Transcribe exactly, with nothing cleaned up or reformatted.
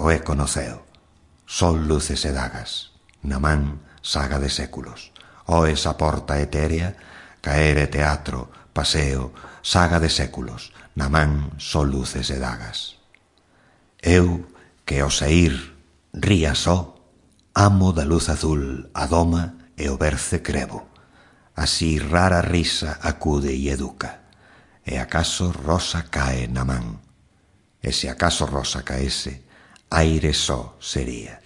o eco no ceo. Sol, luces e dagas, na man saga de séculos. Oes a porta etérea, caer e teatro, paseo, saga de séculos, na man sol, luces e dagas. Eu, que ao saír ría só, amo da luz azul a doma e o berce crevo. Así rara risa acude e educa, e acaso rosa cae na man. E se acaso rosa caese, aire só sería.